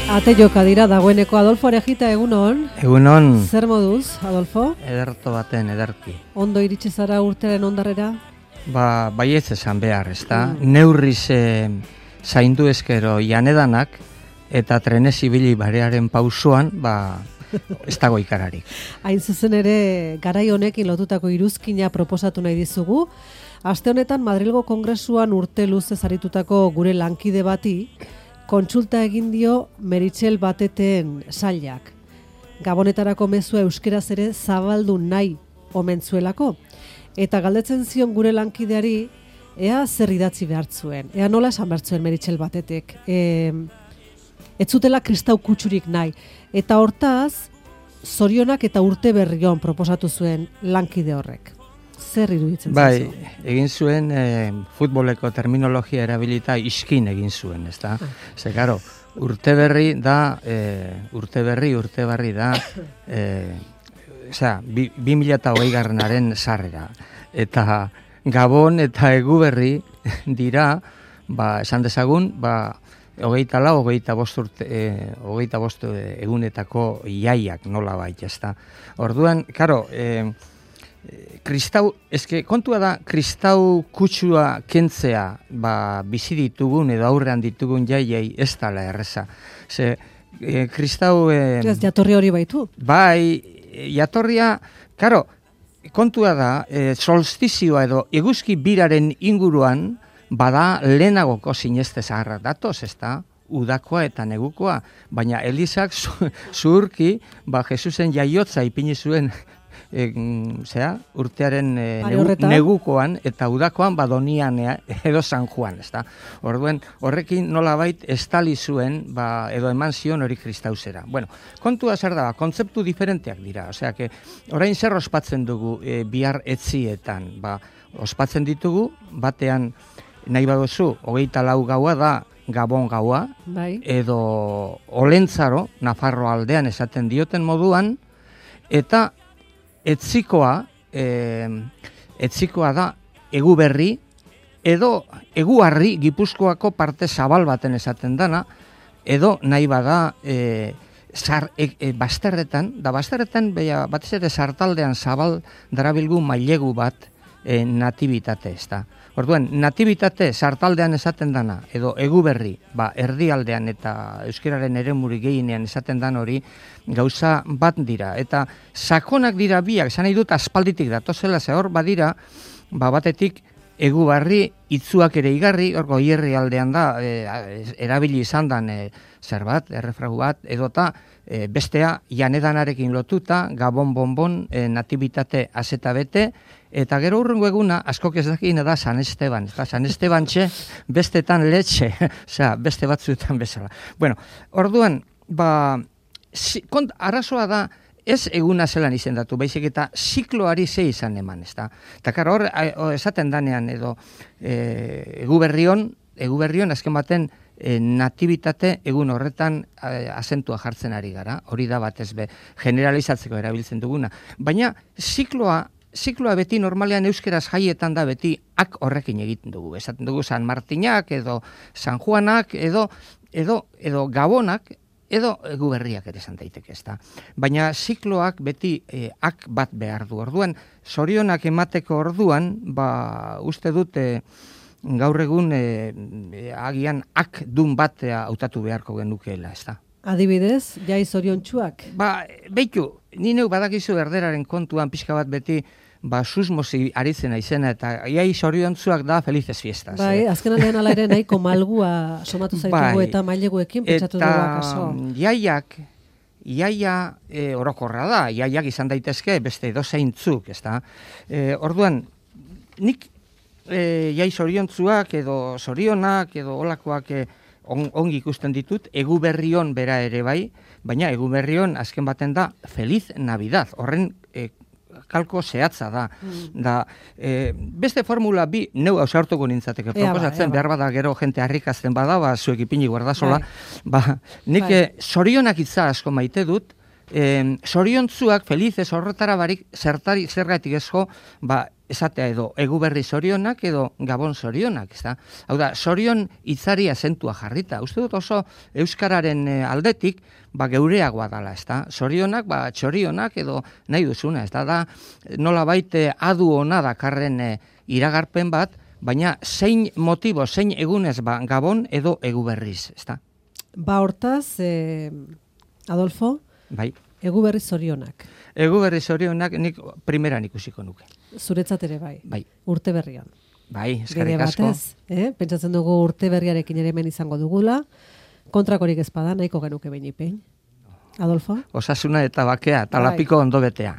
Ate joka dira dagoeneko Adolfo Arejita, egunon. Egunon. Zer moduz, Adolfo? Ederto baten, ederki. Ondo iritsi zara urtearen ondarrera? Baietz esan behar, ezta? Neurriz zaindu eskero janedanak eta trenez ibili barearen pausoan, ez dago ikararik. Hain zuzen ere, garai honekin lotutako iruzkina proposatu nahi dizugu. Aste honetan Madrilgo Kongresuan urte luzez aritutako gure lankide bati, kontsulta egin dio Meritxell Bateteen sailak. Gabonetarako mezua euskeraz ere zabaldu nahi omen zuelako. Eta galdetzen zion gure lankideari, ea zer idatzi behar zuen, ea nola esan behar zuen Meritxell Batetek. Ez zutela kristau kutsurik nahi. Eta hortaz, zorionak eta urte berrion proposatu zuen lankide horrek. Zer iruditzen zaizu? Egin zuen futboleko terminologia erabilita iskin egin zuen, ezta? Ze, karo, urte berri da, urte barri da, 2020 sarrera. Eta Gabon eta Eguberri dira, esan dezagun, 25 egunetako iaiak nola bait, ezta? Orduan, karo, kontua da, kristau kutsua kentzea, bizi ditugun edo aurrean ditugun jaiei ez dala erreza. Ze, kristau... jatorri hori baitu? Jatorria, karo, kontua da, solstizioa edo eguzki biraren inguruan, bada lehenagoko sineste zaharra datoz, ezta? Udakoa eta negukoa, baina Elizak zuhurki, Jesusen jaiotza ipini zuen urtearen negukoan eta udakoan Donian edo San Juan, ezta? Orduen, horrekin nolabait estali zuen, edo eman zion hori kristauzera. Bueno, kontua zer da, kontzeptu diferenteak dira, osea, orain zer ospatzen dugu bihar etzietan, ospatzen ditugu, batean nahi baduzu, 24 gaua da Gabon gaua, edo Olentzaro, Nafarro aldean esaten dioten moduan, eta etzikoa da Eguberri, edo Eguarri Gipuzkoako parte zabal baten esaten dana, edo nahi bada bazterretan, batez ere sartaldean zabal darabilgu mailegu bat natibitate, ezta. Orduan, natibitate sartaldean esaten dana, edo Eguberri, erdialdean eta euskararen eremuri gehienean esaten dan hori, gauza bat dira. Eta sakonak dira biak, esan nahi dut aspalditik datozela, ze hor badira, batetik Eguberri itzuak ere igarri, hor Goierri aldean da, erabili izan dan zerbat, errefragu bat, edota bestea janedanarekin lotuta, Gabon bonbon, natibitate azeta bete, eta gero urrengo eguna, askok ez dakien da San Esteban. Eta San Esteban bestetan letxe, beste batzuetan bezala. Bueno, orduan, arazoa da, ez eguna zelan izendatu, baizik eta zikloari ze izan eman, ezta? Eta karo hor, esaten danean, edo Eguberrion, azken baten, natibitate egun horretan azentua jartzen ari gara, hori da batez generalizatzeko erabiltzen duguna. Baina zikloa beti normalean euskeraz jaietan da beti horrekin egiten dugu. Esaten dugu San Martinak, edo San Juanak, edo Gabonak, edo Eguberriak ere esan daiteke, ezta. Baina zikloak beti bat behar du. Orduan, zorionak emateko orduan, uste dute gaur egun agian dun bat hautatu beharko genukeela, ezta. Adibidez, jai zoriontsuak? Beitu, ni neu badakizu erderaren kontuan pixka bat beti susmozi aritzen aizena, eta jai zoriontsuak da felices fiestas. Azken aldean ala ere nahiko malgua somatu zaitugu eta maileguekin pentsatu dugu akaso. Iaia orokorra da, iaiak izan daitezke beste edozeintzuk, ezta. Orduan, nik jai zoriontsuak edo zorionak edo olakoak ongi ikusten ditut, Eguberrion bera ere bai, baina Eguberrion azken baten da Feliz Navidad, horren kalko zehatza da. Beste formula bi, neu ausartuko nintzateke proposatzen, behar bada gero jente harrikazten bada, zuek ipini guardazola, nik zorionak itza asko maite dut, zoriontzuak, felizez horretara barik, zergatik ezko, esatea edo eguberri zorionak edo gabon zorionak, ezta? Hau da, zorion hitzari azentua jarrita. Uste dut oso euskararen aldetik, geureagoa dala, ezta? Zorionak, txorionak edo nahi duzuna, ezta? Da, nolabait adu ona dakarren iragarpen bat, baina zein motibo, zein egunez gabon edo eguberriz, ezta? Hortaz, Adolfo, bai. Eguberri zorionak. Eguberri zorionak nik primeran ikusiko nuke. Zuretzat ere bai. Bai. Urte berrian. Bai, eskerrik asko. Pentsatzen dugu urte berriarekin ere hemen izango dugula. Kontrakorik ezpada, nahiko genuke behin ipein. Adolfo? Osasuna eta bakea, talapiko ondo betea.